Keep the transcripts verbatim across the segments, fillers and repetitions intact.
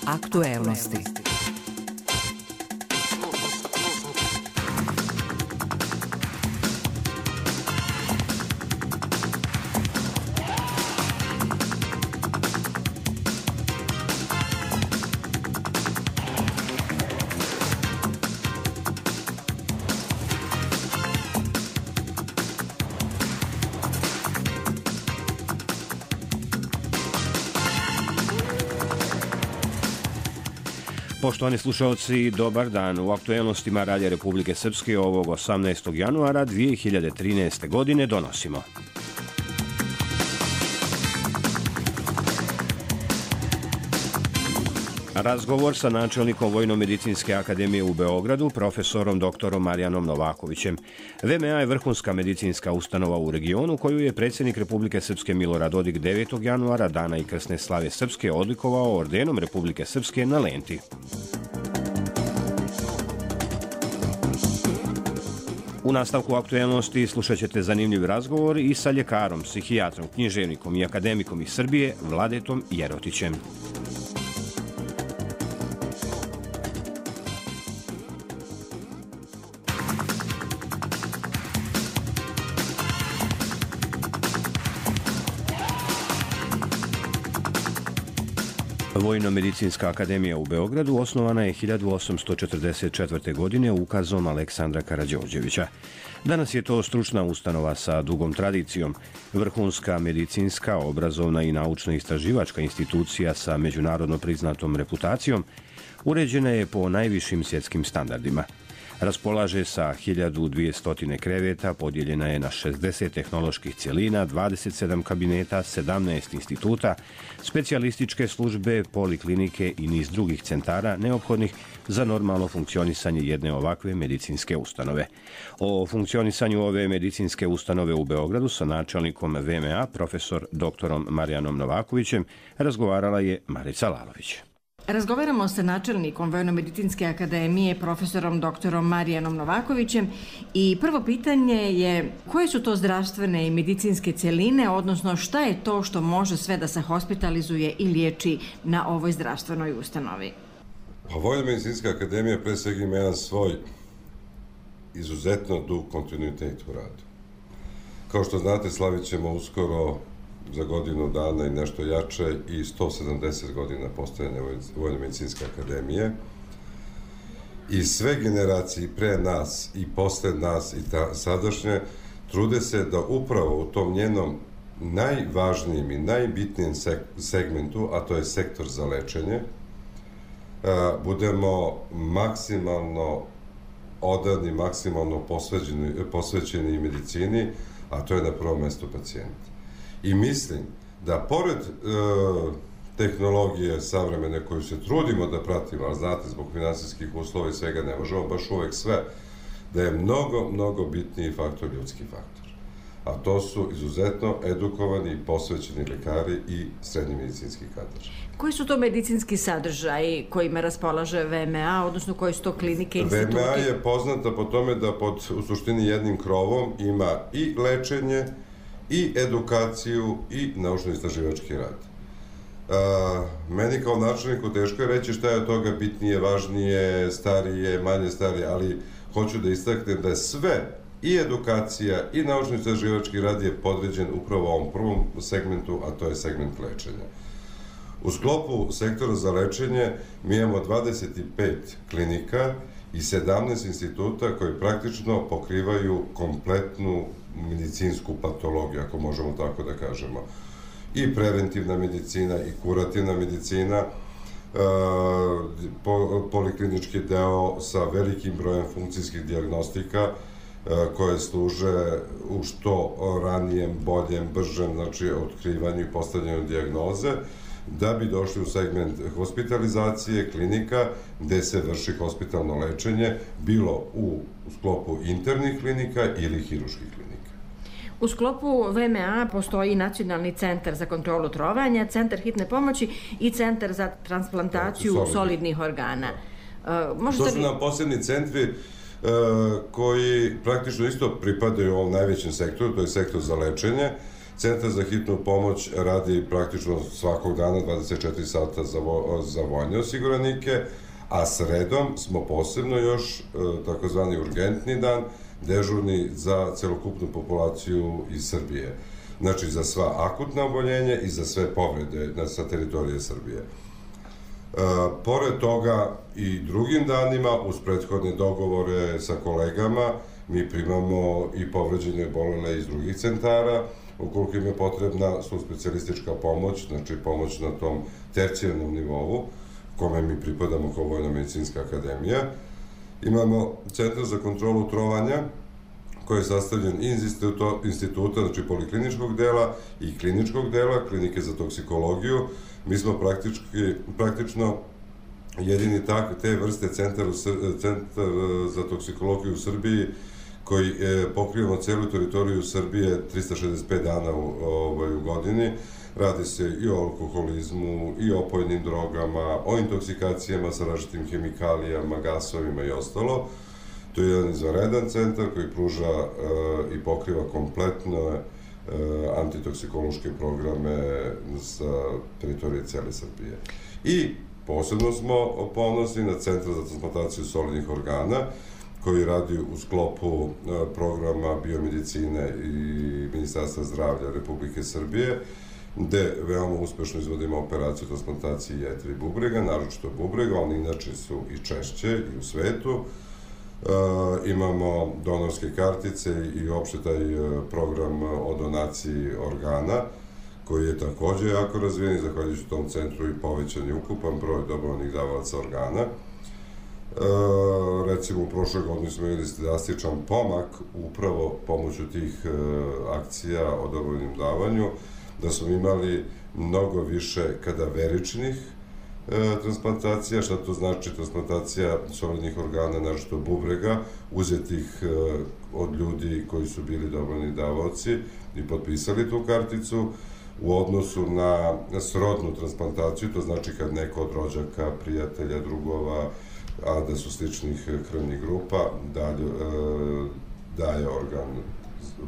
Aktuelnosti. Poštovani slušalci, dobar dan. U aktuelnostima Radija Republike Srpske ovog osamnaestog januara dve hiljade trinaeste. godine donosimo. Razgovor sa načelnikom Vojno-medicinske akademije u Beogradu, profesorom doktorom Marijanom Novakovićem. V M A je vrhunska medicinska ustanova u regionu koju je predsjednik Republike Srpske Milorad Dodik devetog januara, dana i krsne slave Srpske, odlikovao ordenom Republike Srpske na lenti. U nastavku aktuelnosti slušat ćete zanimljiv razgovor i sa ljekarom, psihijatrom, književnikom i akademikom iz Srbije Vladetom Jerotićem. Vojno-medicinska akademija u Beogradu osnovana je hiljadu osamsto četrdeset četvrte. godine ukazom Aleksandra Karađorđevića. Danas je to stručna ustanova sa dugom tradicijom, vrhunska medicinska, obrazovna i naučno-istraživačka institucija sa međunarodno priznatom reputacijom, uređena je po najvišim svjetskim standardima. Raspolaže sa hiljadu dvjesto kreveta, podijeljena je na šezdeset tehnoloških cjelina, dvadeset sedam kabineta, sedamnaest instituta, specijalističke službe, poliklinike i niz drugih centara neophodnih za normalno funkcionisanje jedne ovakve medicinske ustanove. O funkcionisanju ove medicinske ustanove u Beogradu sa načelnikom V M A, profesor doktorom Marijanom Novakovićem, razgovarala je Marica Lalović. Razgovaramo sa načelnikom Vojno-medicinske akademije, profesorom doktorom Marijanom Novakovićem, i prvo pitanje je koje su to zdravstvene i medicinske cjeline, odnosno šta je to što može sve da se hospitalizuje i liječi na ovoj zdravstvenoj ustanovi? Pa Vojno-medicinska akademija pre svega ima jedan svoj izuzetno dug kontinuitet u radu. Kao što znate, slavit ćemo uskoro za godinu dana i nešto jače i sto sedamdeset godina postojanja Vojno-medicinske akademije. I sve generacije pre nas i posle nas i ta, sadašnje trude se da upravo u tom njenom najvažnijem i najbitnijem segmentu, a to je sektor za lečenje, budemo maksimalno odani, maksimalno posvećeni, posvećeni medicini, a to je na prvom mjestu pacijent. I mislim da pored e, tehnologije savremene koju se trudimo da pratimo, ali znate, zbog finansijskih uslova i svega ne možemo baš uvek sve, da je mnogo, mnogo bitniji faktor ljudski faktor. A to su izuzetno edukovani i posvećeni lekari i srednji medicinski kadar. Koji su to medicinski sadržaji kojima raspolaže V M A, odnosno koje su to klinike i instituti? V M A je poznata po tome da pod, u suštini, jednim krovom ima i lečenje, i edukaciju i naučno-istraživački rad. A, meni kao načelniku teško je reći šta je od toga bitnije, važnije, starije, manje starije, ali hoću da istaknem da je sve, i edukacija i naučno-istraživački rad je podređen upravo ovom prvom segmentu, a to je segment lečenja. U sklopu sektora za lečenje mi imamo dvadeset pet klinika i sedamnaest instituta koji praktično pokrivaju kompletnu medicinsku patologiju, ako možemo tako da kažemo. I preventivna medicina i kurativna medicina, poliklinički deo sa velikim brojem funkcijskih dijagnostika koje služe u što ranijem, boljem, bržem, znači otkrivanju i postavljanju dijagnoze, da bi došli u segment hospitalizacije, klinika, gde se vrši hospitalno lečenje, bilo u sklopu internih klinika ili hiruških klinika. U sklopu V M A postoji Nacionalni centar za kontrolu trovanja, Centar hitne pomoći i Centar za transplantaciju solidnih, solidnih organa. Uh, to su li... nam posebni centri uh, koji praktično isto pripadaju ovom najvećem sektoru, to je sektor za lečenje. Centar za hitnu pomoć radi praktično svakog dana dvadeset četiri sata za, vo, za vojne osiguranike, a sredom smo posebno još takozvani urgentni dan, dežurni za celokupnu populaciju iz Srbije. Znači za sva akutna oboljenja i za sve povrede sa teritorije Srbije. E, pored toga i drugim danima, uz prethodne dogovore sa kolegama, mi primamo i povređene bolele iz drugih centara, ukoliko im je potrebna subspecijalistička pomoć, znači pomoć na tom tercijarnom nivou, kome mi pripadamo kao Vojno-medicinska akademija. Imamo Centar za kontrolu trovanja, koji je sastavljen iz instituta, znači polikliničkog dela i kliničkog dela, klinike za toksikologiju. Mi smo praktično jedini te vrste centar za toksikologiju u Srbiji koji pokrivamo celu teritoriju Srbije trista šezdeset pet dana u godini. Radi se i o alkoholizmu, i o opojnim drogama, o intoksikacijama sa različitim hemikalijama, gasovima i ostalo. To je jedan izvanredan centar koji pruža i pokriva kompletno antitoksikološke programe sa teritorije cele Srbije. I posebno smo ponosni na Centar za transplantaciju solidnih organa, koji radi u sklopu programa biomedicine i Ministarstva zdravlja Republike Srbije, gde veoma uspešno izvodimo operaciju transplantacije jetre i bubrega, naročito bubrega, oni inače su i češće i u svetu. Imamo donorske kartice i uopšte taj program o donaciji organa, koji je takođe jako razvijen i zahvaljujući tom centru i povećan je ukupan broj dobrovoljnih davalaca organa. Recimo, u prošloj godini smo imali drastičan pomak upravo pomoću tih akcija o dobrovoljnim davanju, da smo imali mnogo više kadaveričnih transplantacija. Šta to znači transplantacija solidnih organa, naročito bubrega, uzetih od ljudi koji su bili dobrovoljni davaoci i potpisali tu karticu, u odnosu na srodnu transplantaciju, to znači kad neko od rođaka, prijatelja, drugova, a da su sličnih krvnih grupa, daje organ,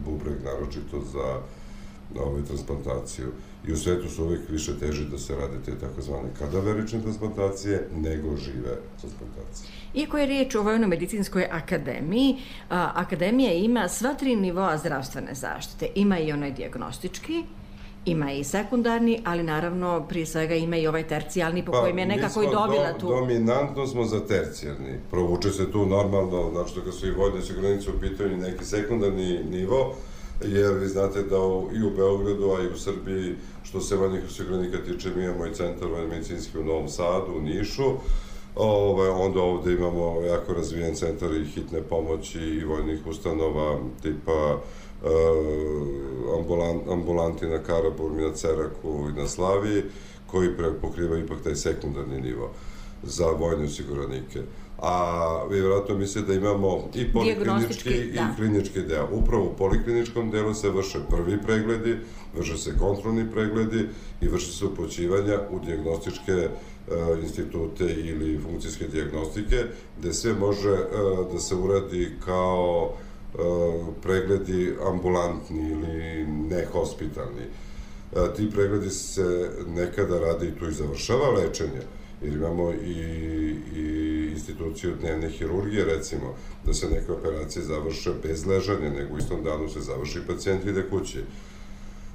bubreg, naročito za transplantaciju. I u svetu su uvijek više teži da se rade te takozvane kadaverične transplantacije nego žive transplantacije. Iako je riječ o Vojno-medicinskoj akademiji, akademija ima sva tri nivoa zdravstvene zaštite. Ima i onaj dijagnostički, ima i sekundarni, ali naravno prije svega ima i ovaj tercijalni po kojem je nekako i dobila tu. Dominantno smo za tercijarni. Provuče se tu normalno, znači da kad su i vojne osiguranice u pitanju neki sekundarni nivo, jer vi znate da i u Beogradu, a i u Srbiji, što se vojnih osiguranika tiče, mi imamo i centar vojno-medicinski u Novom Sadu, u Nišu, onda ovde imamo jako razvijen centar i hitne pomoći i vojnih ustanova tipa ambulanti na Karaburmi, na Ceraku i na Slaviji, koji pokriva ipak taj sekundarni nivo za vojne osiguranike. A vi vjerojatno mislite da imamo i poliklinički i klinički deo. Upravo u polikliničkom delu se vrše prvi pregledi, vrše se kontrolni pregledi i vrše se upućivanja u dijagnostičke institute ili funkcijske dijagnostike, gde sve može da se uradi kao pregledi ambulantni ili nehospitalni. Ti pregledi se nekada rade i tu i završava lečenje, jer imamo i instituciju dnevne hirurgije, recimo, da se neke operacije završe bez ležanja, nego u istom danu se završi i pacijent ide kući.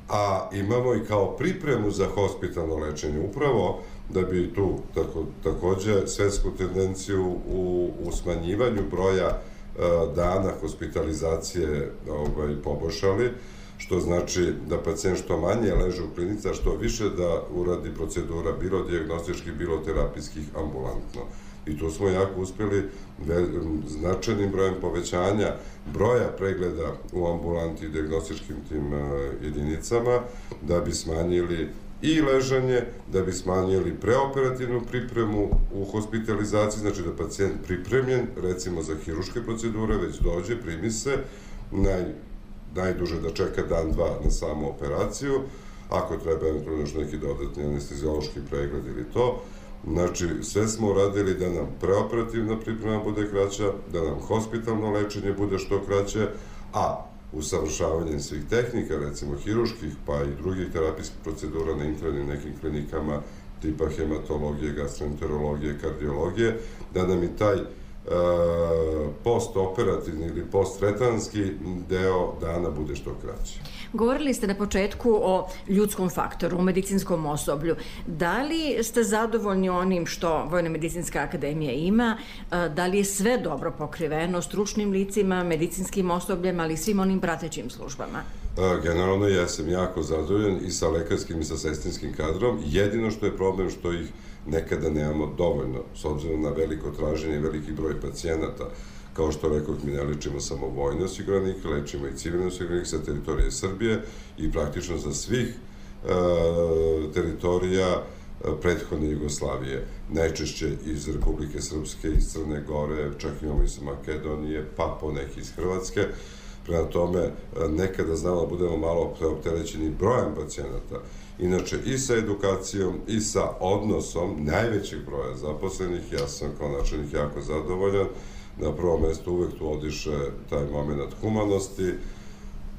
A imamo i kao pripremu za hospitalno lečenje, upravo da bi tu takođe svetsku tendenciju u smanjivanju broja dana hospitalizacije poboljšali, što znači da pacijent što manje leže u klinici, a što više da uradi procedura, bilo dijagnostičkih, bilo terapijskih, ambulantno. I tu smo jako uspeli značajnim brojem povećanja broja pregleda u ambulanti i dijagnostičkim tim jedinicama, da bi smanjili i ležanje, da bi smanjili preoperativnu pripremu u hospitalizaciji, znači da pacijent pripremljen, recimo za hiruške procedure, već dođe, primi se, najduže da čeka dan, dva na samu operaciju, ako treba eventualno još neki dodatni anesteziološki pregled ili to. Znači, sve smo uradili da nam preoperativna priprema bude kraća, da nam hospitalno lečenje bude što kraće, a usavršavanjem svih tehnika, recimo hiruških, pa i drugih terapijskih procedura na internim nekim klinikama, tipa hematologije, gastroenterologije, kardiologije, da nam i taj postoperativni ili posttretanski deo dana bude što kraći. Govorili ste na početku o ljudskom faktoru, o medicinskom osoblju. Da li ste zadovoljni onim što Vojno-medicinska akademija ima? Da li je sve dobro pokriveno stručnim licima, medicinskim osobljem, ali i svim onim pratećim službama? Generalno jesam jako zadovoljan i sa lekarskim i sa sestrinskim kadrom. Jedino što je problem što ih nekada nemamo dovoljno, s obzirom na veliko traženje i veliki broj pacijenata. Kao što rekao, mi ne lečimo samo vojne osiguranike, lečimo i civilne osiguranike sa teritorije Srbije i praktično sa svih teritorija prethodne Jugoslavije. Najčešće iz Republike Srpske, iz Crne Gore, čak imamo i sa Makedonije, pa poneki iz Hrvatske. Prema tome, nekada znamo da budemo malo preopterećeni brojem pacijenata. Inače, i sa edukacijom, i sa odnosom najvećeg broja zaposlenih, ja sam kao načelnik jako zadovoljan. Na prvom mestu uvek tu odiše taj moment humanosti,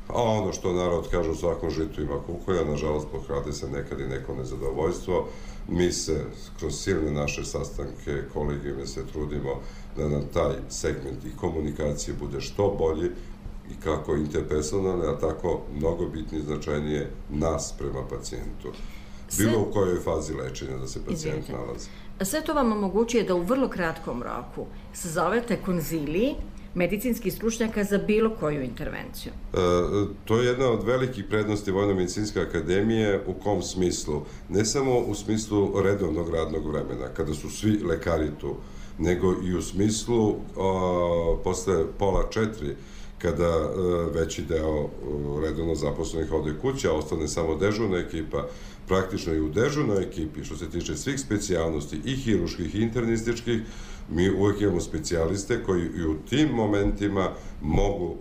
a ono što narod kaže, u svakom žitu ima kukolja, nažalost pokrade se nekad i neko nezadovoljstvo. Mi se kroz silne naše sastanke, kolegijime se trudimo da nam taj segment i komunikacije bude što bolji, i kako interpersonalne, a tako mnogo bitnije značajnije nas prema pacijentu. Bilo u kojoj fazi lečenja da se pacijent nalazi. Sve to vam omogućuje da u vrlo kratkom roku sazovete konziliji medicinskih stručnjaka za bilo koju intervenciju. To je jedna od velikih prednosti Vojno-medicinske akademije. U kom smislu? Ne samo u smislu redovnog radnog vremena, kada su svi lekari tu, nego i u smislu posle pola četiri, kada veći deo redovno zaposlenih ode kuće, a ostane samo dežurna ekipa. Praktično i u dežurnoj ekipi, što se tiče svih specijalnosti, i hiruških i internističkih, mi uvek imamo specijaliste koji i u tim momentima mogu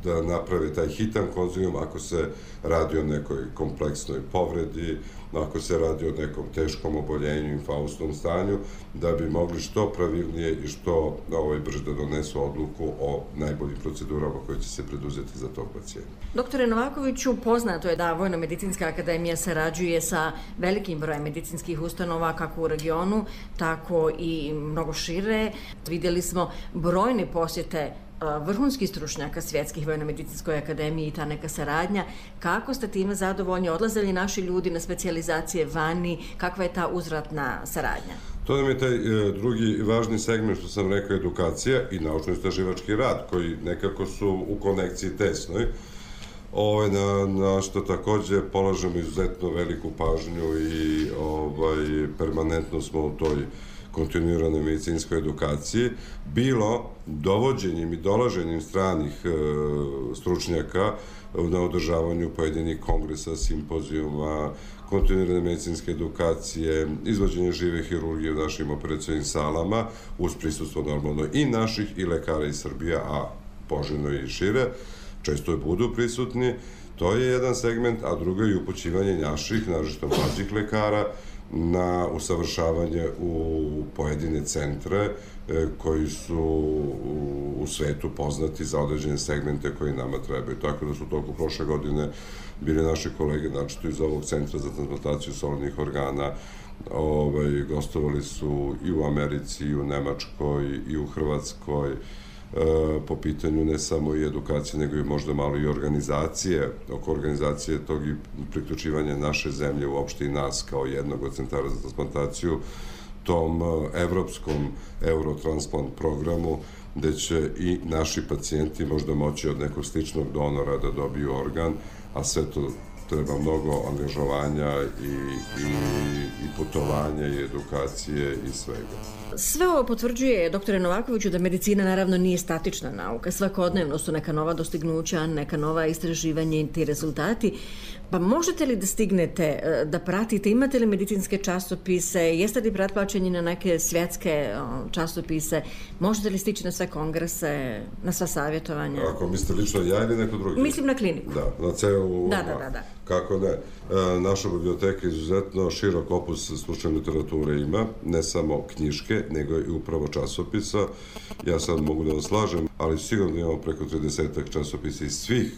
da naprave taj hitan konzilijum ako se radi o nekoj kompleksnoj povredi, ako se radi o nekom teškom oboljenju, infaustnom stanju, da bi mogli što pravilnije i što brže da donesu odluku o najboljim procedurama koje će se preduzeti za tog pacijenta. Doktore Novakoviću, poznato je da Vojno-medicinska akademija sarađuje sa velikim brojem medicinskih ustanova, kako u regionu, tako i mnogo šire. Vidjeli smo brojne posjete vrhunskih stručnjaka svjetskih Vojno-medicinskoj akademiji i ta neka saradnja. Kako ste time zadovoljni? Odlazili naši ljudi na specijalizacije vani? Kakva je ta uzvratna saradnja? To nam je taj drugi važni segment, što sam rekao, edukacija i naučno-istraživački rad, koji nekako su u konekciji tesnoj, na što takođe polažemo izuzetno veliku pažnju i permanentno smo u toj kontinuiranoj medicinskoj edukaciji, bilo dovođenjem i dolaženjem stranih stručnjaka na održavanju pojedinih kongresa, simpozijuma, kontinuirane medicinske edukacije, izvođenje žive hirurgije u našim operacionim salama, uz prisustvo normalno i naših i lekara iz Srbije, a poželjno i šire, često i budu prisutni. To je jedan segment, a drugo je upućivanje naših, naročito mlađih lekara, na usavršavanje u pojedine centre koji su u svetu poznati za određene segmente koji nama trebaju. Tako da su toliko prošle godine bili naši kolege, znači iz ovog centra za transplantaciju solidnih organa, gostovali su i u Americi, i u Nemačkoj, i u Hrvatskoj, po pitanju ne samo i edukacije, nego i možda malo i organizacije, oko organizacije tog i priključivanja naše zemlje, uopšte i nas kao jednog od centara za transplantaciju, tom evropskom Eurotransplant programu, gde će i naši pacijenti možda moći od nekog sličnog donora da dobiju organ, a sve to treba mnogo angažovanja i putovanja i edukacije i svega. Sve ovo potvrđuje, doktore Novakoviću, da medicina naravno nije statična nauka. Svakodnevno su neka nova dostignuća, neka nova istraživanja i ti rezultati. Pa možete li da stignete, da pratite, imate li medicinske časopise, jeste li pretplaćeni na neke svjetske časopise, možete li stići na sve kongrese, na sva savjetovanja? Ako mislite lično ja ili neko drugi? Mislim na kliniku. Da, na celu... Da, da, da. Kako ne. Naša biblioteka izuzetno širok opus stručne literature ima, ne samo knjiške, nego i upravo časopisa. Ja sad mogu da vam slažem, ali sigurno imamo preko tridesetak časopisa iz svih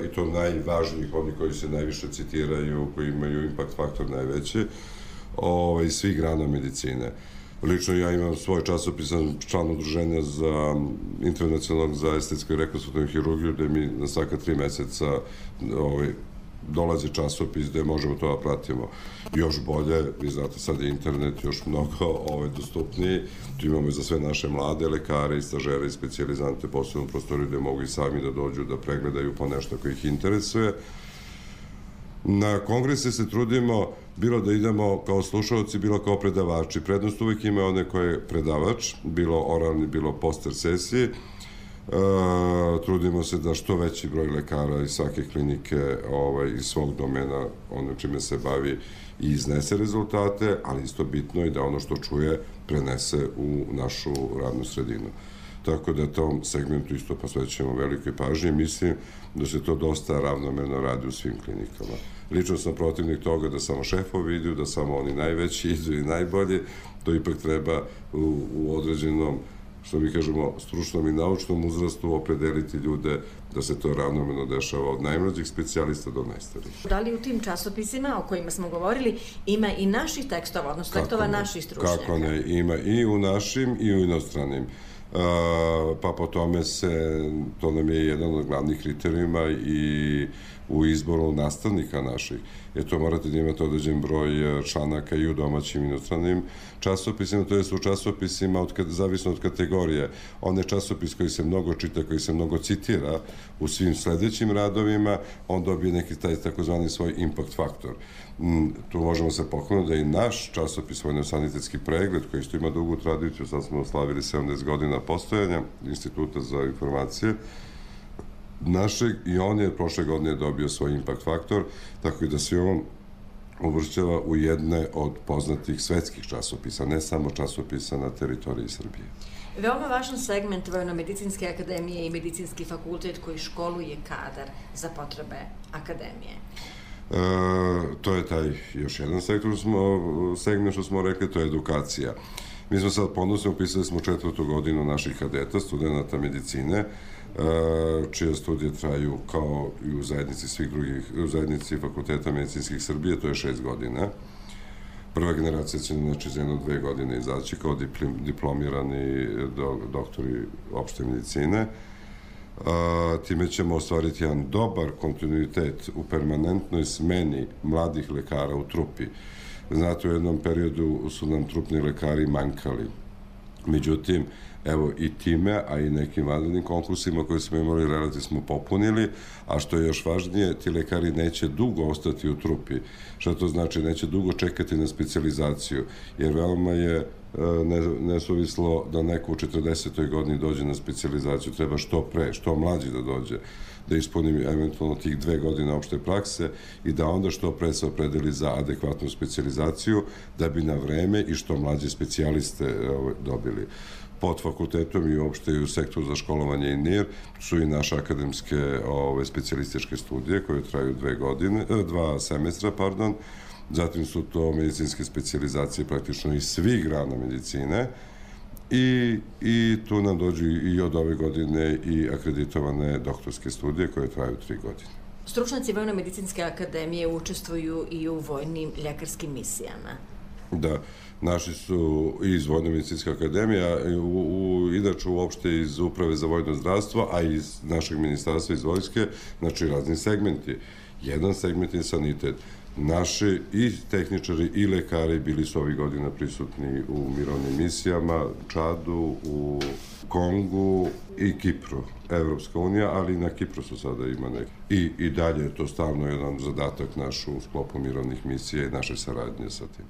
i to najvažnijih, oni koji se najviše citiraju, koji imaju impact faktor najveći, iz svih grana medicine. Lično ja imam svoj časopis, sam član udruženja za internacionalnog za estetsku i rekonstruktivnu hirurgiju, gde mi na svaka tri meseca dolazi časopis gde možemo to da pratimo još bolje. Vi znate, sad je internet još mnogo dostupniji. Tu imamo i za sve naše mlade lekare i stažere i specijalizante posebno prostoriju gde mogu i sami da dođu da pregledaju po nešto koji ih interesuje. Na kongrese se trudimo bilo da idemo kao slušalci, bilo kao predavači. Prednost uvek ima one koje je predavač, bilo oralni, bilo poster sesiji. Trudimo se da što veći broj lekara iz svake klinike, iz svog domena, ono čime se bavi, i iznese rezultate, ali isto bitno i da ono što čuje prenese u našu radnu sredinu. Tako da tom segmentu isto posvećujemo velikoj pažnji. Mislim da se to dosta ravnomerno radi u svim klinikama. Lično sam protivnik toga da samo šefovi idu, da samo oni najveći idu i najbolji. To ipak treba u određenom, što mi kažemo, stručnom i naučnom uzrastu opredeliti ljude da se to ravnomerno dešava od najmlađih specijalista do najstarijih. Da li u tim časopisima o kojima smo govorili ima i naših tekstova, odnosno tekstova naših stručnjaka? Kako ne, ima i u našim i u inostranim. Pa po tome se, to nam je jedan od glavnih kriterijuma i u izboru nastavnika naših. Jer to morate da imate određen broj članaka i u domaćim i inostranim časopisima, to je u časopisima, zavisno od kategorije. Onaj časopis koji se mnogo čita, koji se mnogo citira u svim sledećim radovima, on dobije neki taj takozvani svoj impact faktor. Tu možemo se pohvaliti da i naš časopis Vojno-sanitetski pregled, koji isto ima dugu tradiciju, sad smo oslavili sedamdeset godina postojanja Instituta za informacije našeg, i on je prošle godine dobio svoj impact faktor, tako i da se on uvršćava u jedne od poznatih svetskih časopisa, ne samo časopisa na teritoriji Srbije. Veoma važan segment Vojno-medicinske akademije i medicinski fakultet koji školuje kadar za potrebe akademije. To je taj još jedan segment što smo rekli, to je edukacija. Mi smo sad ponosno upisali smo četvrtu godinu naših kadeta, studenta medicine, čije studije traju kao i u zajednici svih drugih, u zajednici fakulteta medicinskih Srbije, to je šest godina. Prva generacija će znači za jedno dve godine izaći kao diplomirani doktori opšte medicine. Time ćemo ostvariti jedan dobar kontinuitet u permanentnoj smeni mladih lekara u trupi. Znate, u jednom periodu su nam trupni lekari mankali. Međutim, evo i time, a i nekim vanrednim konkursima koje smo imali relativno smo popunili, a što je još važnije, ti lekari neće dugo ostati u trupi. Šta to znači? Neće dugo čekati na specijalizaciju, jer veoma je nesuvislo da neko u četrdesetoj godini dođe na specijalizaciju, treba što pre, što mlađi da dođe, da ispuni eventualno tih dve godine opšte prakse i da onda što pre se opredeli za adekvatnu specijalizaciju, da bi na vreme i što mlađe specijaliste dobili. Pod fakultetom i uopšte i u sektoru za školovanje i N I R su i naše akademske specijalističke studije koje traju dve godine, dva semestra, pardon. Zatim su to medicinske specijalizacije praktično iz svih grana medicine i tu nam dođu i od ove godine i akreditovane doktorske studije koje traju tri godine. Stručnjaci Vojno-medicinske akademije učestvuju i u vojnim ljekarskim misijama. Da, naši su iz Vojno-medicinske akademije, inače uopšte iz Uprave za vojno zdravstvo, a iz našeg ministarstva, iz vojske, znači razni segmenti. Jedan segment je sanitet. Naši i tehničari i lekari bili su ovih godina prisutni u mirovnim misijama, Čadu, u Kongu i Kipru, Evropska unija, ali i na Kipru su sada ima neki. I dalje je to stavno jedan zadatak naš u sklopu mirovnih misija i naše saradnje sa tim.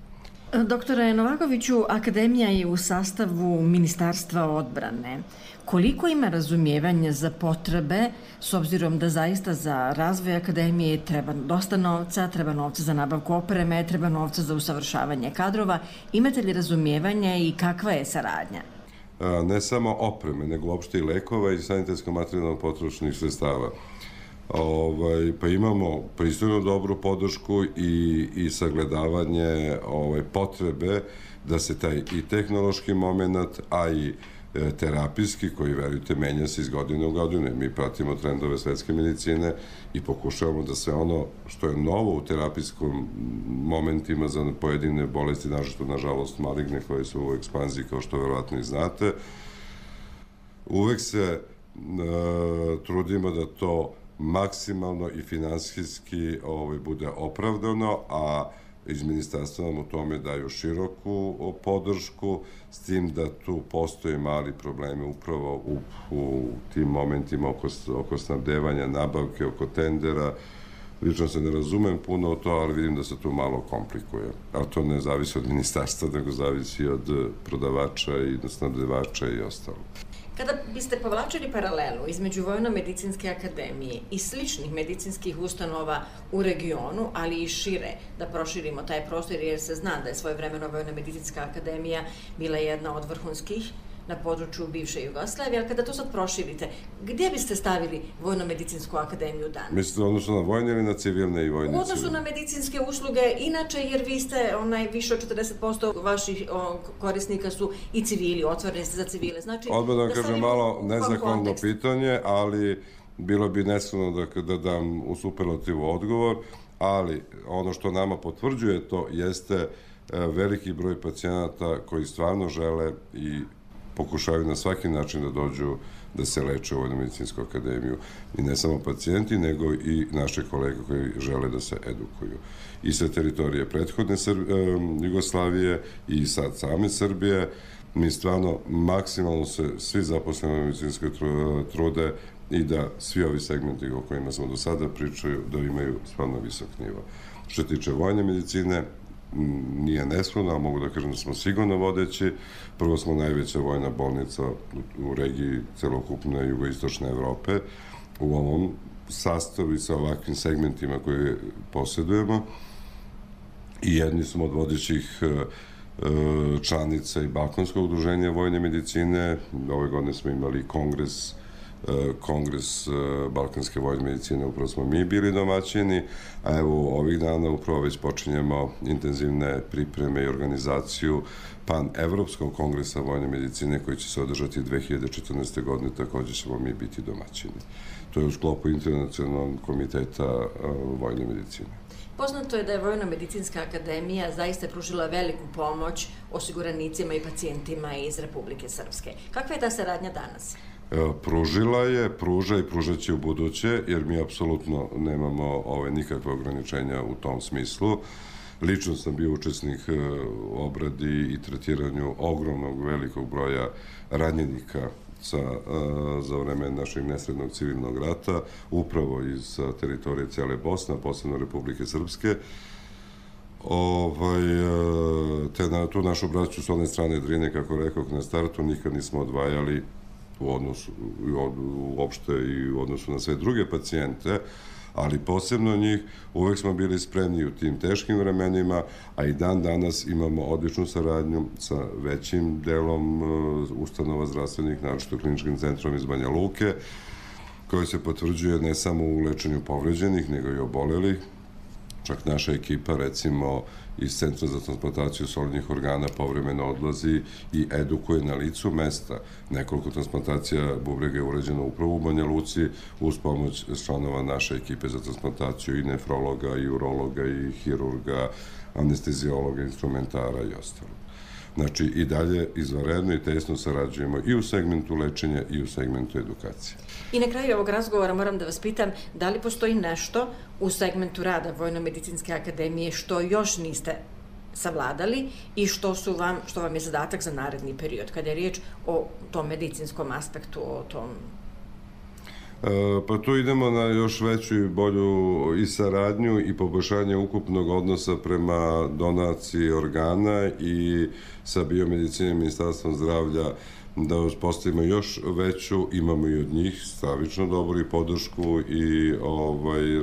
Doktore Novakoviću, akademija je u sastavu Ministarstva odbrane. Koliko ima razumijevanja za potrebe, s obzirom da zaista za razvoj akademije treba dosta novca, treba novca za nabavku opreme, treba novca za usavršavanje kadrova. Imate li razumijevanja i kakva je saradnja? Ne samo opreme, nego uopšte i lekova i sanitetsko-materijalno potrošnih sredstava. Pa imamo pristojno dobru podršku i sagledavanje potrebe da se taj i tehnološki moment, a i terapijski, koji, verujte, menja se iz godine u godinu. Mi pratimo trendove svetske medicine i pokušavamo da sve ono što je novo u terapijskom momentima za pojedine bolesti, nažalost maligne, koje su u ekspanziji, kao što verovatno i znate, uvek se trudimo da to maksimalno i finansijski bude opravdano, a iz ministarstva nam u tome daju široku podršku, s tim da tu postoje mali problemi upravo u, u tim momentima oko, oko snabdevanja, nabavke, oko tendera. Lično se ne razumem puno o to, ali vidim da se tu malo komplikuje. Ali to ne zavisi od ministarstva, nego zavisi od prodavača i snabdevača i ostalo. Kada biste povlačili paralelu između Vojno-medicinske akademije i sličnih medicinskih ustanova u regionu, ali i šire, da proširimo taj prostor, jer se zna da je svojevremeno Vojno-medicinska akademija bila jedna od vrhunskih na području bivše Jugoslavije, ali kada to sad proširite, gdje biste stavili Vojno-medicinsku akademiju danas? Mislite odnosno na vojne ili na civilne i vojne? U odnosu na medicinske usluge, inače, jer vi ste onaj, više od četrdeset posto vaših o, korisnika su i civili, otvoreni ste za civile. Znači, odmah da vam da kažem malo nezahvalno pitanje, ali bilo bi neskromno da, da dam u superlativu odgovor, ali ono što nama potvrđuje to jeste veliki broj pacijenata koji stvarno žele i pokušavaju na svaki način da dođu da se leče u Vojno-medicinsku akademiju. I ne samo pacijenti, nego i naše kolege koji žele da se edukuju. I sa teritorije prethodne Jugoslavije i sad same Srbije, mi stvarno maksimalno se svi zaposleni u medicinskoj trude i da svi ovi segmenti o kojima smo do sada pričaju, da imaju stvarno visok nivo. Što se tiče vojne medicine, nije neskromno, ali mogu da kažem da smo sigurno vodeći. Prvo smo najveća vojna bolnica u regiji celokupne jugoistočne Evrope u ovom sastavu i sa ovakvim segmentima koje posjedujemo. I jedni smo od vodećih članica i Balkanskog udruženja vojne medicine. Ove godine smo imali kongres Kongres Balkanske vojne medicine, upravo smo mi bili domaćini, a evo ovih dana upravo već počinjemo intenzivne pripreme i organizaciju pan-evropskog kongresa vojne medicine koji će se održati dve hiljade četrnaeste. godine, također ćemo mi biti domaćini. To je u sklopu Internacionalnog komiteta vojne medicine. Poznato je da je Vojno-medicinska akademija zaista pružila veliku pomoć osiguranicima i pacijentima iz Republike Srpske. Kakva je ta saradnja danas? Pružila je, pruža i pružat će u buduće, jer mi apsolutno nemamo ove nikakve ograničenja u tom smislu. Lično sam bio učesnik u obradi i tretiranju ogromnog velikog broja ranjenika za vreme našeg nesrednog civilnog rata, upravo iz teritorije cijele Bosne, posebno Republike Srpske. Tu našu braću s one strane Drine, kako rekao na startu, nikad nismo odvajali u odnosu, uopšte i u odnosu na sve druge pacijente, ali posebno njih, uvek smo bili spremni u tim teškim vremenima, a i dan danas imamo odličnu saradnju sa većim delom ustanova zdravstvenih, naročito kliničkim centrom iz Banja Luke, koji se potvrđuje ne samo u lečenju povređenih, nego i obolelih. Čak naša ekipa, recimo, iz Centra za transplantaciju solidnih organa povremeno odlazi i edukuje na licu mesta. Nekoliko transplantacija bubrega je urađeno upravo u Banja Luci uz pomoć članova naše ekipe za transplantaciju i nefrologa, i urologa, i hirurga, anestezijologa, instrumentara i ostalo. Znači, i dalje izvanredno i tesno sarađujemo i u segmentu lečenja i u segmentu edukacije. I na kraju ovog razgovora moram da vas pitam da li postoji nešto u segmentu rada Vojno-medicinske akademije što još niste savladali i što su vam, što vam je zadatak za naredni period, kada je riječ o tom medicinskom aspektu, o tom... Pa tu idemo na još veću i bolju i saradnju i poboljšanje ukupnog odnosa prema donaciji organa i sa biomedicinom Ministarstvom zdravlja da uspostavimo još veću, imamo i od njih stravično dobru i podršku i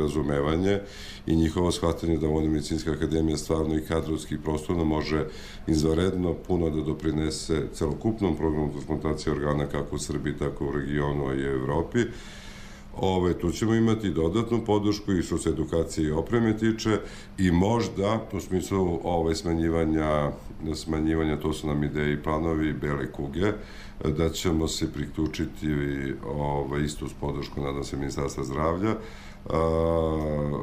razumevanje i njihovo shvatanje da Vojno-medicinska akademija stvarno i kadrovski i prostorno može izvanredno puno da doprinese celokupnom programu transplantacije organa kako u Srbiji, tako u regionu, a i u Evropi. Tu ćemo imati dodatnu podršku i što se edukacije i opreme tiče i možda u smislu smanjivanja smanjivanja, to su nam ideje i planovi bele kuge, da ćemo se priključiti ovaj, isto uz podršku, nadam se, Ministarstva zdravlja,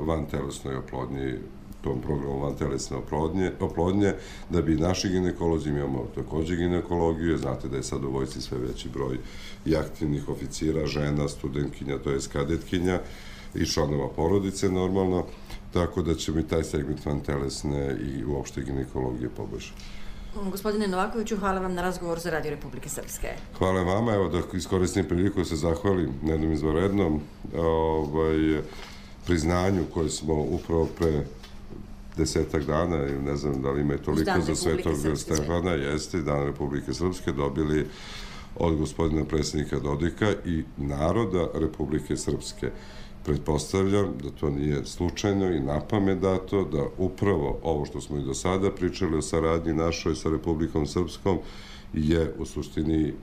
vantelesnoj oplodnji, tom programu vantelesne oplodnje, oplodnje, da bi naši ginekolozi, imamo takođe ginekologiju, znate da je sad u vojsci sve veći broj i aktivnih oficira, žena, studentkinja, to je kadetkinja i članova porodice normalno, tako da ćemo i taj segment vantelesne i uopšte ginekologije poboljšati. Gospodine Novakoviću, hvala vam na razgovor za Radio Republike Srpske. Hvala vama, evo da iskoristim priliku da se zahvalim na jednom izvanrednom ovaj, priznanju koje smo upravo pre desetak dana, ne znam da li ima toliko za Svetog Stefana, jeste, Dan Republike Srpske, dobili od gospodina predsjednika Dodika i naroda Republike Srpske. Pretpostavljam da to nije slučajno i napamet dato, da upravo ovo što smo i do sada pričali o saradnji našoj sa Republikom Srpskom je u suštini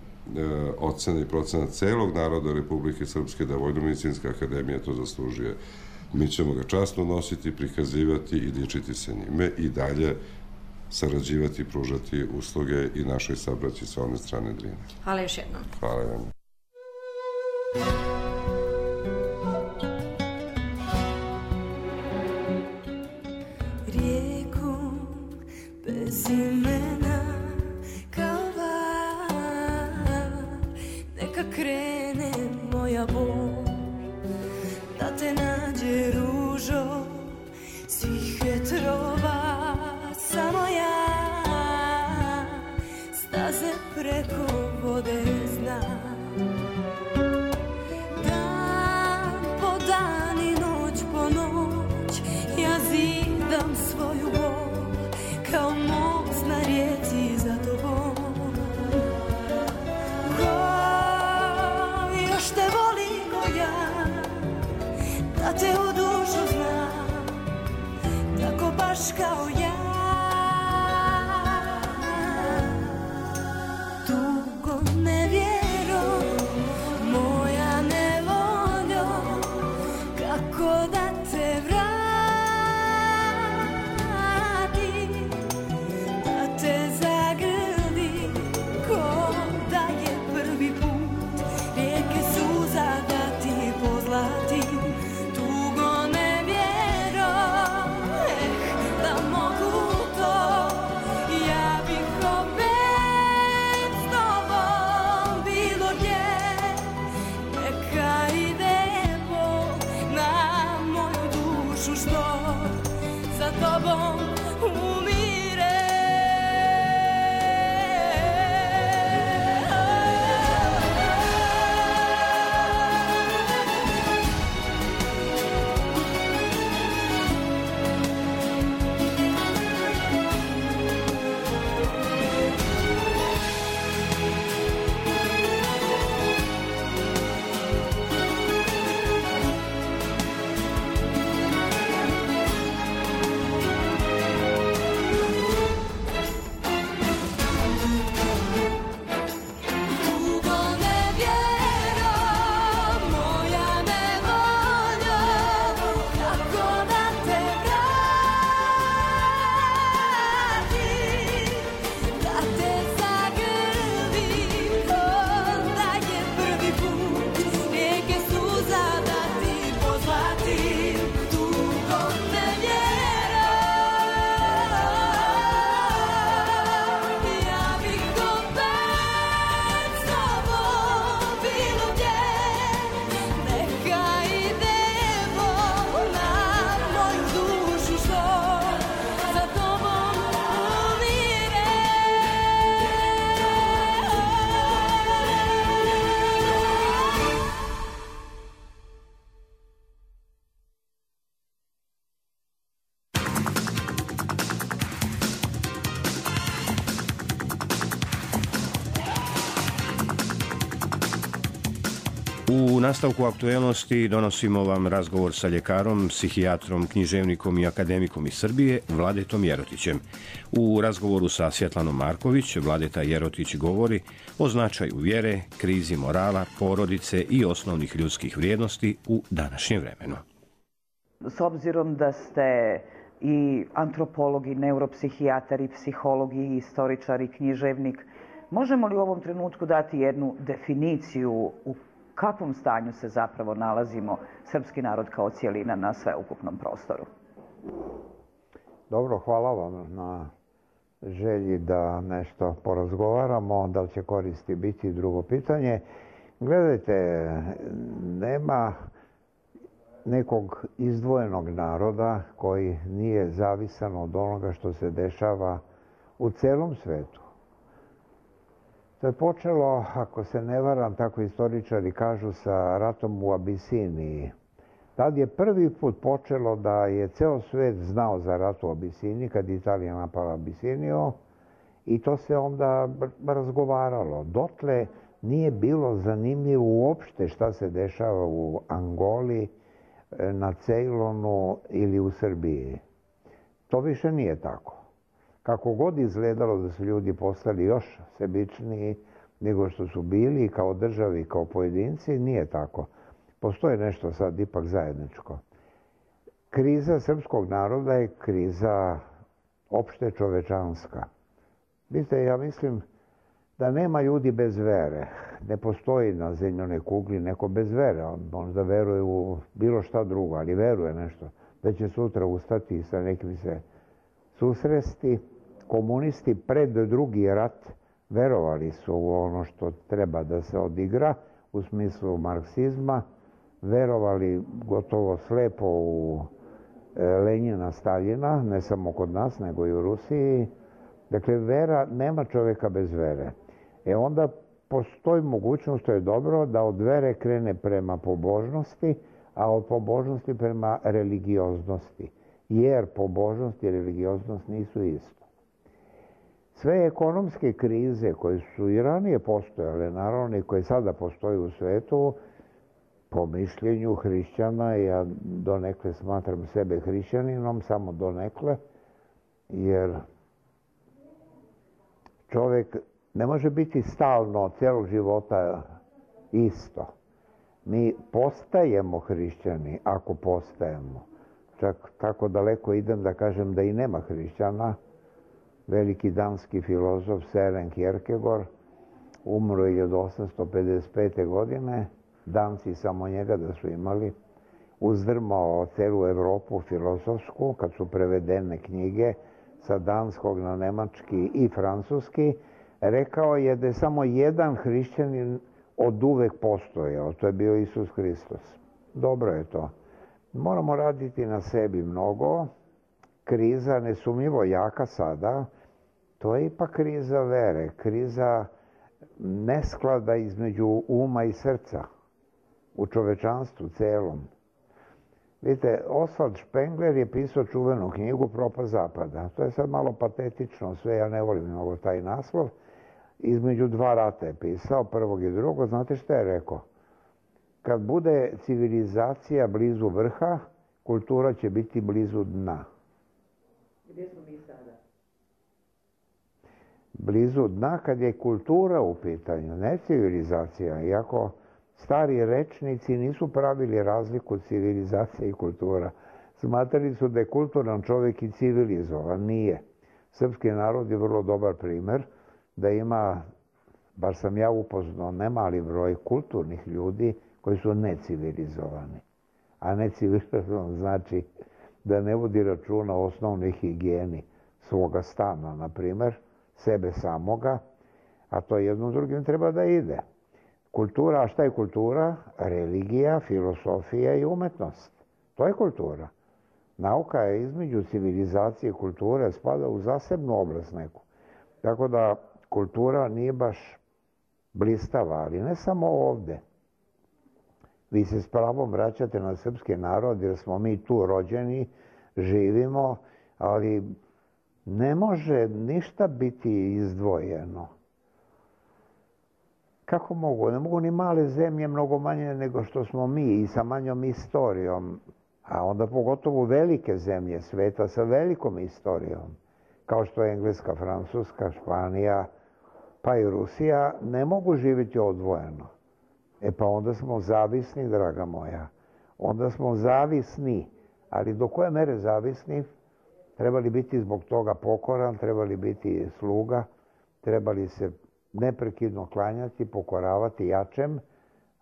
ocena i procena celog naroda Republike Srpske, da Vojno-medicinska akademija to zaslužuje. Mi ćemo ga časno nositi, prikazivati i dičiti se njime i dalje sarađivati i pružati usluge i našoj sabraći sa one strane Drine. Hvala još jednom. Hvala vam. Rijeku bez imena kao val, neka krene moja bol, da te nađe ružo svih vjetrova, samo ja staze preko vode znam. Dan po dan i noć po noć ja zidam svoju bol kao most na rijeci za tobom. Ko još te voli ko ja, da te u dušu znam, tako baš kao ja. Dugo nevjero, moja nevoljo, kako da te vratim, da te zagrlim, ko da je prvi put, rijeke suza da ti pozlatim. Za tobom umire. U nastavku aktuelnosti donosimo vam razgovor sa ljekarom, psihijatrom, književnikom i akademikom iz Srbije, Vladetom Jerotićem. U razgovoru sa Svjetlanom Marković, Vladeta Jerotić govori o značaju vjere, krizi morala, porodice i osnovnih ljudskih vrijednosti u današnjem vremenu. S obzirom da ste i antropolog, i neuropsihijatar, i psiholog, i istoričar, i književnik. Možemo li u ovom trenutku dati jednu definiciju u kakvom stanju se zapravo nalazimo srpski narod kao cijelina na sveukupnom prostoru? Dobro, hvala vam na želji da nešto porazgovaramo. Da li će koristi biti drugo pitanje. Gledajte, nema nekog izdvojenog naroda koji nije zavisan od onoga što se dešava u celom svetu. To je počelo, ako se ne varam, tako istoričari kažu, sa ratom u Abisiniji. Tad je prvi put počelo da je ceo svet znao za rat u Abisiniji, kad je Italija napala Abisiniju, i to se onda razgovaralo. Dotle nije bilo zanimljivo uopšte šta se dešava u Angoli, na Ceylonu ili u Srbiji. To više nije tako. Kako god izgledalo da su ljudi postali još sebičniji nego što su bili kao državi i kao pojedinci, nije tako. Postoji nešto sad ipak zajedničko. Kriza srpskog naroda je kriza opšte čovečanska. Vidite, ja mislim da nema ljudi bez vere. Ne postoji na zemljanoj kugli neko bez vere. On možda veruje u bilo šta drugo, ali veruje nešto. Da će sutra ustati i sa nekim se susresti. Komunisti pred drugi rat verovali su u ono što treba da se odigra u smislu marksizma. Verovali gotovo slepo u Lenjina, Staljina, ne samo kod nas, nego i u Rusiji. Dakle, vera, nema čovjeka bez vere. E onda postoji mogućnost, to je dobro, da od vere krene prema pobožnosti, a od pobožnosti prema religioznosti. Jer pobožnost i religioznost nisu isto. Sve ekonomske krize koje su i ranije postojale, naravno i koje sada postoje u svetu, po mišljenju hrišćana, ja donekle smatram sebe hrišćaninom, samo donekle, jer čovjek ne može biti stalno celog života isto. Mi postajemo hrišćani ako postajemo. Čak tako daleko idem da kažem da i nema hrišćana. Veliki danski filozof Søren Kierkegaard umro je hiljadu osamsto pedeset pete. godine. Danci samo njega da su imali. Uzdrmao celu Evropu filozofsku kad su prevedene knjige sa danskog na nemački i francuski. Rekao je da je samo jedan hrišćanin od uvek postojao. To je bio Isus Hristos. Dobro je to. Moramo raditi na sebi mnogo. Kriza, nesumnjivo jaka sada, to je ipak kriza vere, kriza nesklada između uma i srca u čovečanstvu celom. Vidite, Oswald Spengler je pisao čuvenu knjigu Propast zapada. To je sad malo patetično sve, ja ne volim mnogo taj naslov. Između dva rata je pisao, prvog i drugog. Znate šta je rekao? Kad bude civilizacija blizu vrha, kultura će biti blizu dna. Gdje smo mi sada? Blizu dna kad je kultura u pitanju, ne civilizacija. Iako stari rečnici nisu pravili razliku civilizacija i kultura. Smatrali su da je kulturan čovjek i civilizovan. Nije. Srpski narod je vrlo dobar primjer da ima, bar sam ja upoznao, nemali broj kulturnih ljudi koji su necivilizovani. A necivilizovan znači da ne vodi računa o osnovnoj higijeni svoga stana, na primjer, sebe samoga, a to jedno drugim treba da ide. Kultura, a šta je kultura? Religija, filosofija i umetnost. To je kultura. Nauka je između civilizacije i kulture, spada u zasebnu oblast neku. Tako da kultura nije baš blistava, ali ne samo ovde. Vi se s pravom vraćate na srpski narod jer smo mi tu rođeni, živimo, ali ne može ništa biti izdvojeno. Kako mogu? Ne mogu ni male zemlje mnogo manje nego što smo mi i sa manjom istorijom, a onda pogotovo velike zemlje sveta sa velikom istorijom, kao što je Engleska, Francuska, Španija, pa i Rusija, ne mogu živjeti odvojeno. E pa onda smo zavisni, draga moja. Onda smo zavisni. Ali do koje mere zavisni? Trebali biti zbog toga pokoran, trebali biti sluga, trebali se neprekidno klanjati, pokoravati jačem,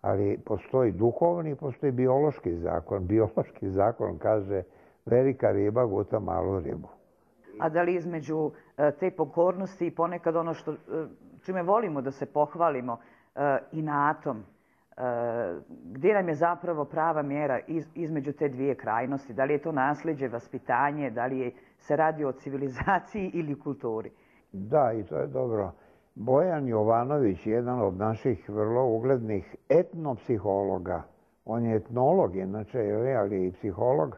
ali postoji duhovni, postoji biološki zakon. Biološki zakon kaže velika riba guta malu ribu. A da li između te pokornosti i ponekad ono što, čime volimo da se pohvalimo, inatom, gdje nam je zapravo prava mjera između te dvije krajnosti? Da li je to nasljeđe, vaspitanje, da li je, se radi o civilizaciji ili kulturi? Da, i to je dobro. Bojan Jovanović, jedan od naših vrlo uglednih etnopsihologa, on je etnolog, inače, ali i psiholog,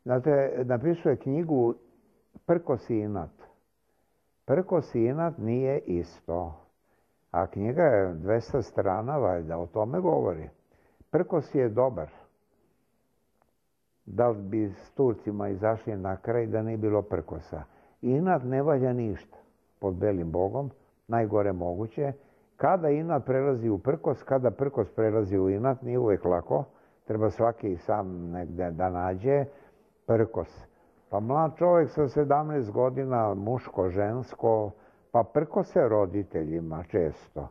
znate, napisuje knjigu Prkos i inat. Prkos i inat nije isto. A knjiga je dvesta strana, valjda, o tome govori. Prkos je dobar. Da li bi s Turcima izašli na kraj da nije bilo prkosa? Inat ne valja ništa pod belim bogom, najgore moguće. Kada inat prelazi u prkos, kada prkos prelazi u inat, nije uvijek lako. Treba svaki sam negde da nađe prkos. Pa mlad čovjek sa sedamnaest godina, muško, žensko, pa prkose roditeljima često.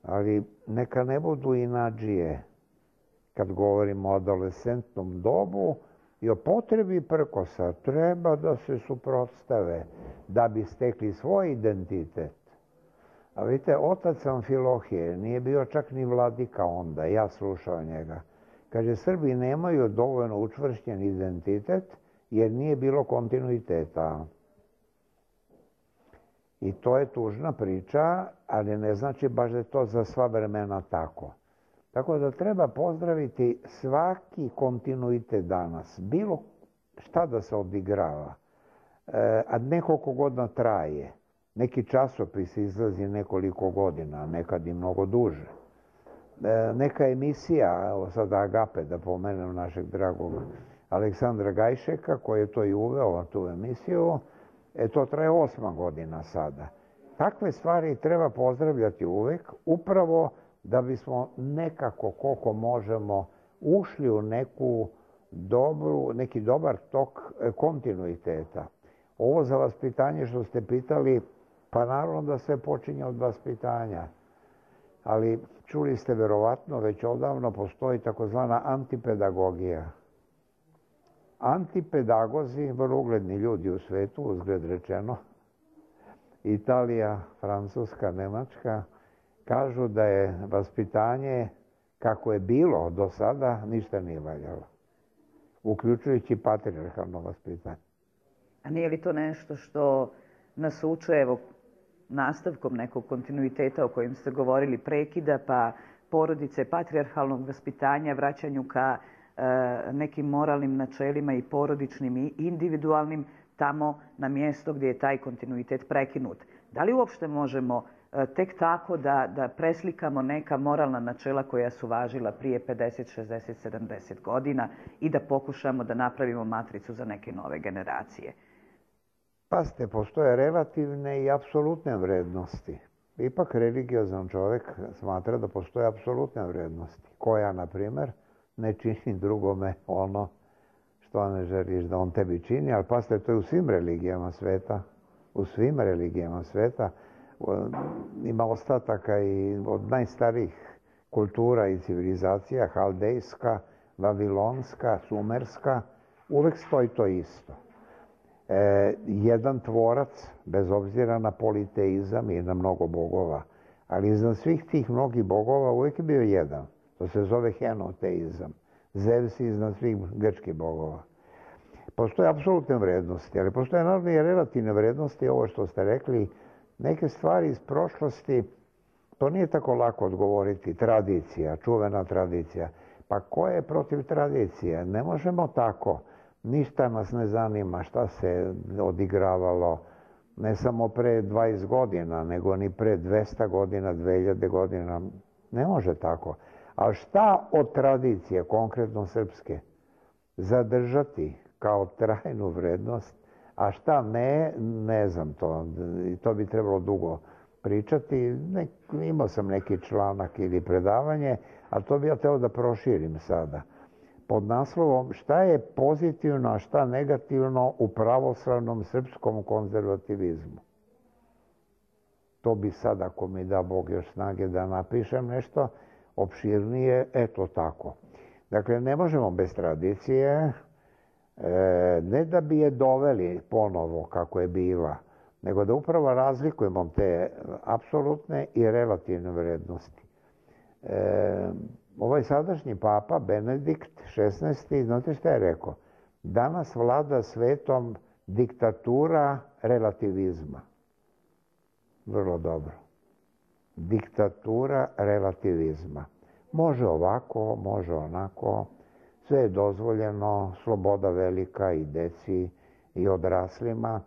Ali neka ne budu inadžije kad govorimo o adolescentnom dobu i o potrebi prkosa. Treba da se suprotstave da bi stekli svoj identitet. A vidite, otac Amfilohije nije bio čak ni vladika onda, ja slušao njega. Kaže, Srbi nemaju dovoljno učvršćen identitet jer nije bilo kontinuiteta. I to je tužna priča, ali ne znači baš da je to za sva vremena tako. Tako da treba pozdraviti svaki kontinuitet danas. Bilo šta da se odigrava, a nekoliko godina traje. Neki časopis izlazi nekoliko godina, nekad i mnogo duže. Neka emisija, evo sada Agape, da pomenem našeg dragog Aleksandra Gajšeka, koji je to i uveo tu emisiju, e, to traje osma godina sada. Takve stvari treba pozdravljati uvek, upravo da bismo nekako, koliko možemo, ušli u neku dobru, neki dobar tok kontinuiteta. Ovo za vaspitanje što ste pitali, pa naravno da sve počinje od vaspitanja. Ali čuli ste verovatno, već odavno postoji takozvana antipedagogija. Antipedagozi, vrlo ugledni ljudi u svetu, uzgled rečeno, Italija, Francuska, Nemačka, kažu da je vaspitanje kako je bilo do sada ništa nije valjalo, uključujući patrijarhalno vaspitanje. A nije li to nešto što nas uče, evo, nastavkom nekog kontinuiteta o kojem ste govorili, prekida, pa porodice, patrijarhalnog vaspitanja, vraćanju ka nekim moralnim načelima i porodičnim i individualnim tamo na mjesto gdje je taj kontinuitet prekinut. Da li uopšte možemo tek tako da, da preslikamo neka moralna načela koja su važila prije pedeset, šezdeset, sedamdeset godina i da pokušamo da napravimo matricu za neke nove generacije? Pazite, postoje relativne i apsolutne vrednosti. Ipak religiozan čovjek smatra da postoje apsolutne vrednosti. Koja, na primjer, ne čini drugome ono što ne želiš da on tebi čini, ali pazite, to je u svim religijama sveta. U svim religijama sveta ima ostataka i od najstarijih kultura i civilizacija, haldejska, vavilonska, sumerska, uvek stoji to isto. E, jedan tvorac, bez obzira na politeizam i na mnogo bogova, ali iznad svih tih mnogih bogova uvek je bio jedan. To se zove henoteizam. Zevs iznad svih grčkih bogova. Postoje apsolutne vrednosti, ali postoje naravno i relativne vrednosti. Ovo što ste rekli, neke stvari iz prošlosti, to nije tako lako odgovoriti. Tradicija, čuvena tradicija. Pa ko je protiv tradicije? Ne možemo tako. Ništa nas ne zanima šta se odigravalo ne samo pre dvadeset godina, nego ni pre dvesta godina, dve hiljade godina. Ne može tako. A šta od tradicije, konkretno srpske, zadržati kao trajnu vrednost, a šta ne, ne znam to. To bi trebalo dugo pričati. Ne, imao sam neki članak ili predavanje, ali to bi ja teo da proširim sada. pod naslovom šta je pozitivno, a šta negativno u pravoslavnom srpskom konzervativizmu. To bi sad, ako mi da Bog još snage da napišem nešto opširnije, eto tako. Dakle, ne možemo bez tradicije, ne da bi je doveli ponovo kako je bila, nego da upravo razlikujemo te apsolutne i relativne vrednosti. E, ovaj sadašnji papa, Benedikt šesnaesti, znate šta je rekao? Danas vlada svetom diktatura relativizma. Vrlo dobro. Diktatura relativizma. Može ovako, može onako, sve je dozvoljeno, sloboda velika i deci i odraslima.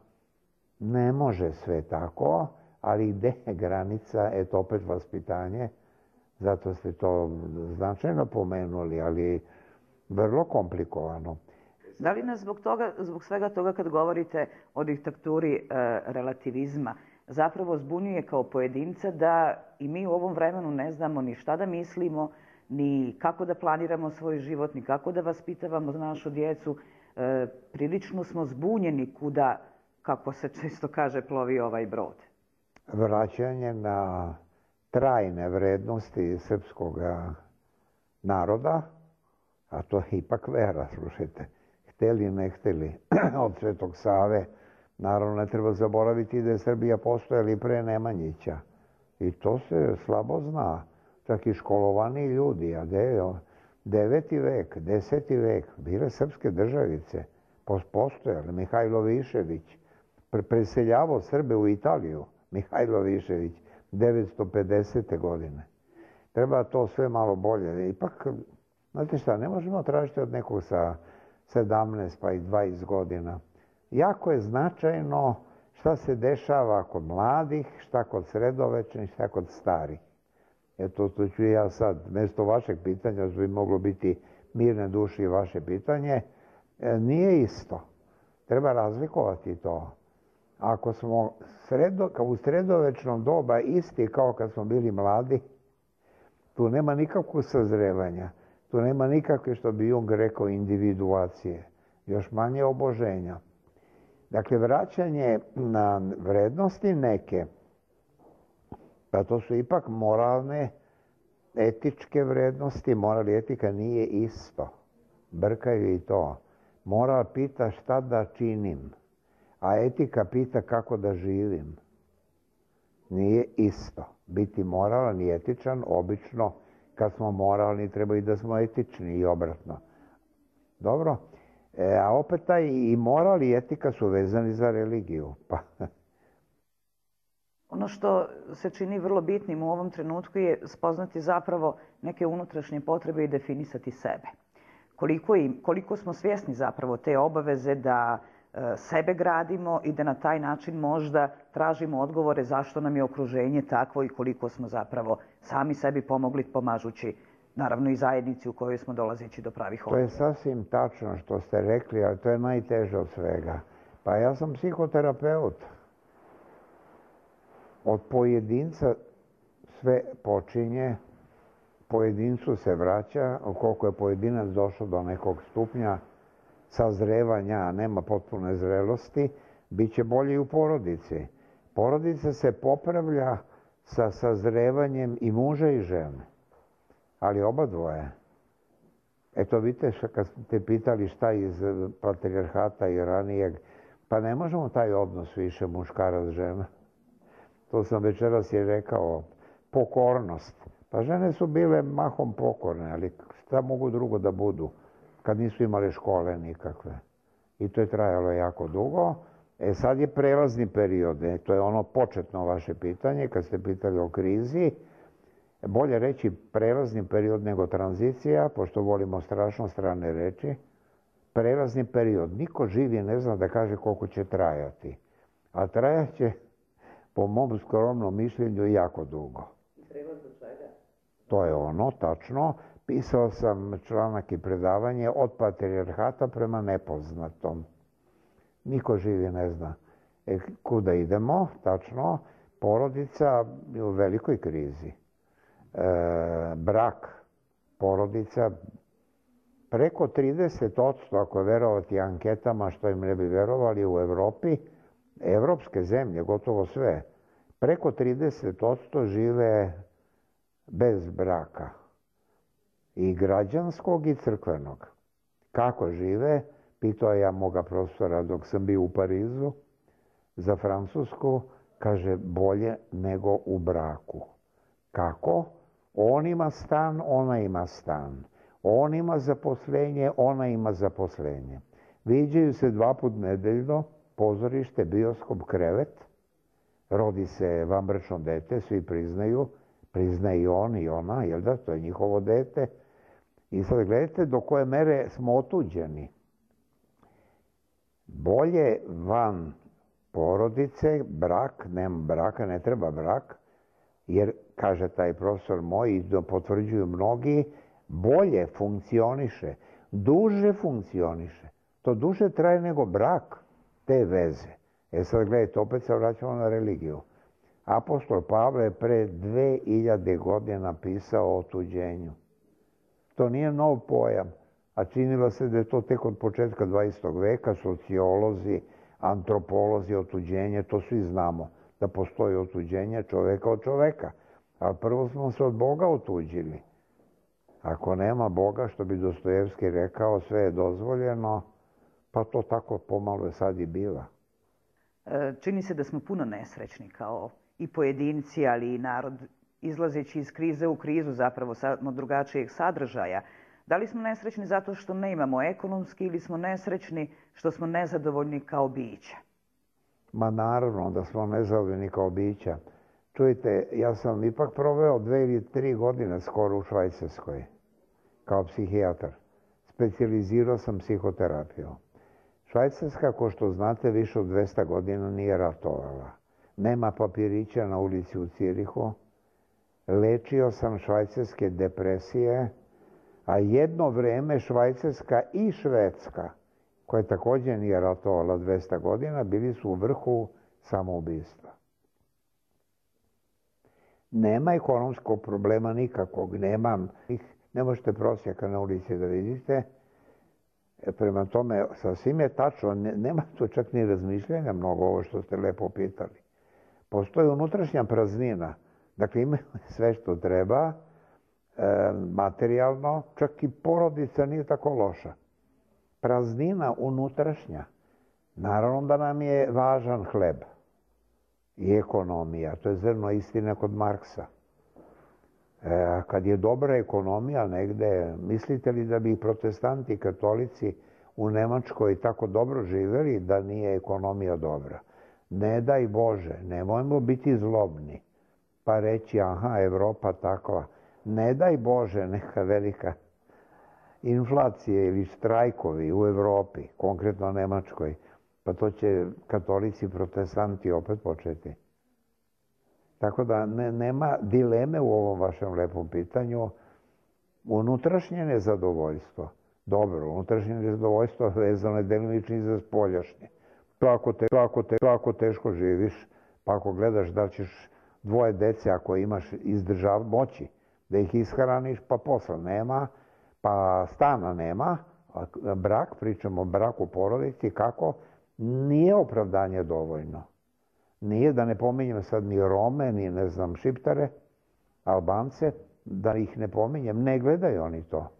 Ne može sve tako, ali gde je granica, eto opet vaspitanje, zato ste to značajno pomenuli, ali vrlo komplikovano. Da li nas zbog toga, zbog svega toga kad govorite o diktaturi e, relativizma, zapravo zbunjuje kao pojedinca da i mi u ovom vremenu ne znamo ni šta da mislimo, ni kako da planiramo svoj život, ni kako da vaspitavamo našu djecu. E, prilično smo zbunjeni kuda, kako se često kaže, plovi ovaj brod. Vraćanje na trajne vrednosti srpskog naroda, a to je ipak vera, slušajte, hteli ne hteli, od Svetog Save. Naravno, ne treba zaboraviti da je Srbija postojala i pre Nemanjića. I to se slabo zna. Čak i školovani ljudi, a deveti vek, deseti vek, bile srpske državice, postojale. Mihajlo Višević preseljavao Srbe u Italiju, Mihajlo Višević, devetsto pedesete godine. Treba to sve malo bolje. Ipak, znate šta, ne možemo tražiti od nekog sa sedamnaest pa i dvadeset godina. Jako je značajno šta se dešava kod mladih, šta kod sredovečnih, šta kod starih. Eto, to ću ja sad, mjesto vašeg pitanja, što bi moglo biti mirne duši vaše pitanje, nije isto. Treba razlikovati to. Ako smo sredo, kao u sredovečnom doba isti kao kad smo bili mladi, tu nema nikakvog sazrevanja. Tu nema nikakve, što bi Jung rekao, individuacije. Još manje oboženja. Dakle, vraćanje na vrednosti neke, pa to su ipak moralne, etičke vrednosti. Moral i etika nije isto. Brkaju i to. Moral pita šta da činim, a etika pita kako da živim. Nije isto. Biti moralan i etičan, obično, kad smo moralni, treba i da smo etični i obratno. Dobro? E, a opet taj i moral i etika su vezani za religiju. Pa. Ono što se čini vrlo bitnim u ovom trenutku je spoznati zapravo neke unutrašnje potrebe i definisati sebe. Koliko, im, koliko smo svjesni zapravo te obaveze da e, sebe gradimo i da na taj način možda tražimo odgovore zašto nam je okruženje takvo i koliko smo zapravo sami sebi pomogli pomažući naravno i zajednici u kojoj smo dolazeći do pravih odgovora. To je sasvim tačno što ste rekli, ali to je najteže od svega. Pa ja sam psihoterapeut. Od pojedinca sve počinje, pojedincu se vraća, koliko je pojedinac došao do nekog stupnja sazrevanja, a nema potpune zrelosti, bit će bolje i u porodici. Porodica se popravlja sa sazrevanjem i muža i žene, ali oba dvoje. Eto, vidite, kad ste pitali šta iz patrijarhata i ranijeg, pa ne možemo taj odnos više muškarac-žena. To sam večeras je rekao, pokornost. Pa žene su bile mahom pokorne, ali šta mogu drugo da budu kad nisu imale škole nikakve. I to je trajalo jako dugo. E sad je prelazni period, e, to je ono početno vaše pitanje, kad ste pitali o krizi. Bolje reći prelazni period nego tranzicija, pošto volimo strašno strane reči. Prelazni period. Niko živi ne zna da kaže koliko će trajati. A trajat će, po mom skromnom mišljenju, jako dugo. To je ono, tačno. Pisao sam članak i predavanje od patrijarhata prema nepoznatom. Niko živi ne zna. E, kuda idemo, tačno, porodica je u velikoj krizi. E, brak, porodica, Preko trideset posto, ako verovati anketama, što im ne bi verovali u Evropi, evropske zemlje, gotovo sve, preko trideset posto žive bez braka. I građanskog i crkvenog. Kako žive? Pitao ja moga profesora dok sam bio u Parizu za Francusku, kaže bolje nego u braku. Kako? On ima stan, ona ima stan. On ima zaposlenje, ona ima zaposlenje. Viđaju se dva put nedeljno, pozorište, bioskop, krevet. Rodi se vanbračno dete, svi priznaju. Priznaje i on i ona, jel da? To je njihovo dete. I sad gledajte do koje mere smo otuđeni. Bolje van porodice, brak, nema braka, ne treba brak, jer, kaže taj profesor moj, i potvrđuju mnogi, bolje funkcioniše, duže funkcioniše. To duže traje nego brak, te veze. E sad gledajte, opet se vraćamo na religiju. Apostol Pavle je pre dve hiljade godine napisao o otuđenju. To nije nov pojam, a činilo se da je to tek od početka dvadesetog veka, sociolozi, antropolozi, otuđenje, to svi znamo, da postoji otuđenje čoveka od čoveka. Ali prvo smo se od Boga otuđili. Ako nema Boga, što bi Dostojevski rekao, sve je dozvoljeno, pa to tako pomalo sad i biva. Čini se da smo puno nesrećni kao i pojedinci, ali i narod, izlazeći iz krize u krizu, zapravo samo drugačijeg sadržaja. Da li smo nesrećni zato što ne imamo ekonomski ili smo nesrećni što smo nezadovoljni kao bića? Ma naravno da smo nezadovoljni kao bića. Čujte, ja sam ipak proveo dve ili tri godine skoro u Švajcarskoj kao psihijatar. Specijalizirao sam psihoterapiju. Švajcarska, ko što znate, više od dvesta godina nije ratovala. Nema papirića na ulici u Cirihu. Lečio sam švajcarske depresije, a jedno vreme Švajcarska i Švedska, koja također nije ratovala dvesta godina, bili su u vrhu samoubistva. Nema ekonomskog problema nikakvog, nema, ne možete prosjaka na ulici da vidite. Prema tome, sasvim je tačno, nema tu čak ni razmišljanja mnogo ovo što ste lepo pitali. Postoji unutrašnja praznina, dakle imaju sve što treba, materijalno, čak i porodica nije tako loša. Praznina unutrašnja. Naravno da nam je važan hleb i ekonomija. To je zrno istine kod Marksa. E, kad je dobra ekonomija negde, mislite li da bi protestanti i katolici u Nemačkoj tako dobro živeli da nije ekonomija dobra? Ne daj Bože, nemojmo biti zlobni pa reći aha, Evropa takva. Ne daj Bože neka velika inflacija ili štrajkovi u Evropi, konkretno Nemačkoj, pa to će katolici i protestanti opet početi. Tako da ne, nema dileme u ovom vašem lepom pitanju. Unutrašnje nezadovoljstvo. Dobro, unutrašnje nezadovoljstvo vezano je delimično i za spoljašnje. To ako, te, to, ako te, to ako teško živiš, pa ako gledaš da ćeš dvoje dece, ako imaš izdržav moći, da ih ishraniš, pa posla nema, pa stana nema, brak, pričamo o braku porodici, kako, nije opravdanje dovoljno. Nije, da ne pominjem sad ni Rome, ni ne znam Šiptare, Albance, da ih ne pominjem, ne gledaju oni to.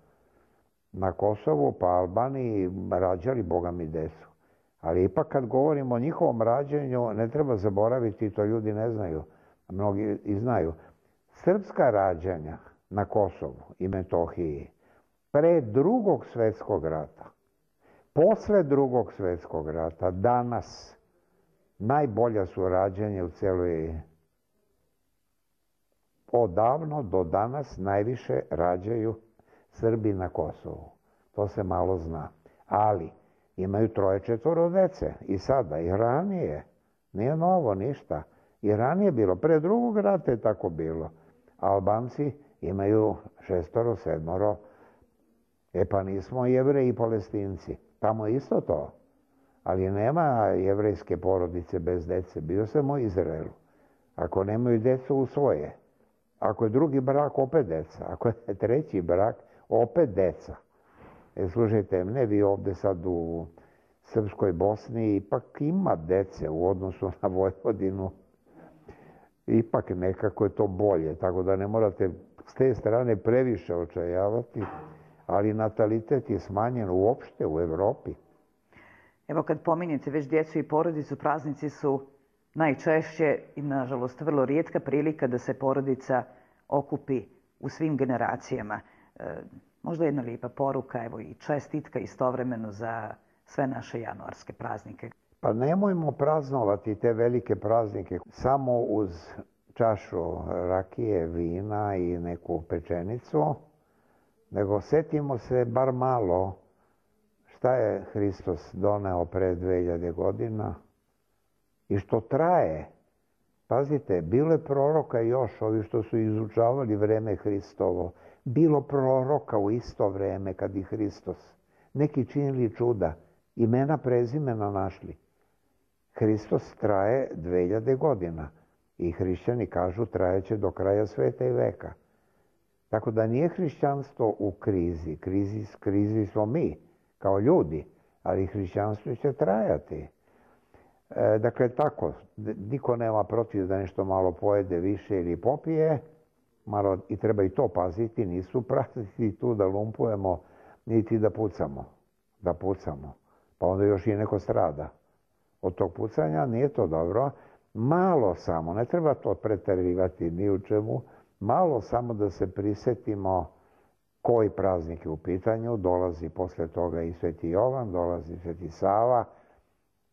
Na Kosovu pa Albaniji rađali Boga mi decu. Ali ipak kad govorimo o njihovom rađenju, ne treba zaboraviti, to ljudi ne znaju, mnogi i znaju. Srpska rađanja na Kosovu i Metohiji pre drugog svjetskog rata, posle drugog svjetskog rata, danas, najbolja su rađanja u cijeloj... Odavno do danas najviše rađaju Srbi na Kosovu. To se malo zna. Ali imaju troje četvoro dece. I sada, i ranije. Nije novo ništa. I ranije bilo. Pre drugog rata je tako bilo. Albanci imaju šestoro, sedmoro. E pa nismo Jevreji i Palestinci. Tamo je isto to. Ali nema jevrejske porodice bez dece. Bio sam u Izraelu. Ako nemaju decu, usvoje. Ako je drugi brak, opet deca. Ako je treći brak, opet deca. E, slušajte, ne vi ovde sad u Srpskoj Bosni ipak ima dece u odnosu na Vojvodinu. Ipak nekako je to bolje, tako da ne morate s te strane previše očajavati, ali natalitet je smanjen uopšte u Evropi. Evo kad pominjete već djecu i porodicu, praznici su najčešće i nažalost vrlo rijetka prilika da se porodica okupi u svim generacijama. E, možda jedna lijepa poruka, evo i čestitka istovremeno za sve naše januarske praznike. Pa nemojmo praznovati te velike praznike samo uz čašu rakije, vina i neku pečenicu, nego setimo se bar malo šta je Hristos doneo pre dve hiljade godina i što traje. Pazite, bilo je proroka još, ovi što su izučavali vreme Hristovo, bilo proroka u isto vreme kad i Hristos. Neki činili čuda, imena prezimena našli. Hristos traje dve hiljade godina i hrišćani kažu trajeće do kraja sveta i veka. Tako da nije hrišćanstvo u krizi, krizi, krizi smo mi kao ljudi, ali hrišćanstvo će trajati. E, dakle, tako, niko nema protiv da nešto malo pojede više ili popije, malo i treba i to paziti, nisu pratiti tu da lumpujemo, niti da pucamo, da pucamo, pa onda još i neko strada. Od tog pucanja nije to dobro, malo samo, ne treba to preterivati ni u čemu, malo samo da se prisetimo koji praznik je u pitanju, dolazi posle toga i Sveti Jovan, dolazi Sveti Sava,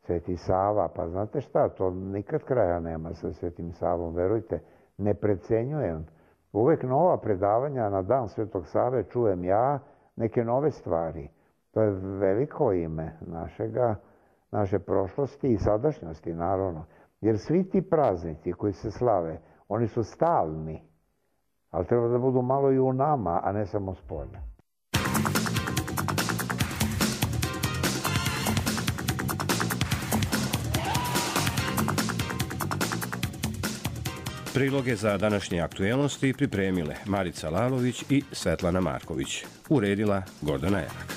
Sveti Sava, pa znate šta, to nikad kraja nema sa Svetim Savom, verujte, ne precenjujem. Uvek nova predavanja na dan Svetog Save čujem ja, neke nove stvari. To je veliko ime našega, naše prošlosti i sadašnjosti, naravno. Jer svi ti praznici koji se slave, oni su stalni, ali treba da budu malo i u nama, a ne samo spolja. Priloge za današnje aktuelnosti pripremile Marica Lalović i Svetlana Marković. Uredila Gordana Erak.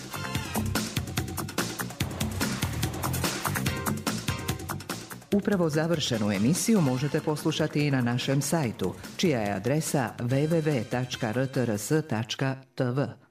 Upravo završenu emisiju možete poslušati i na našem sajtu, čija je adresa w w w tačka r t r s tačka t v.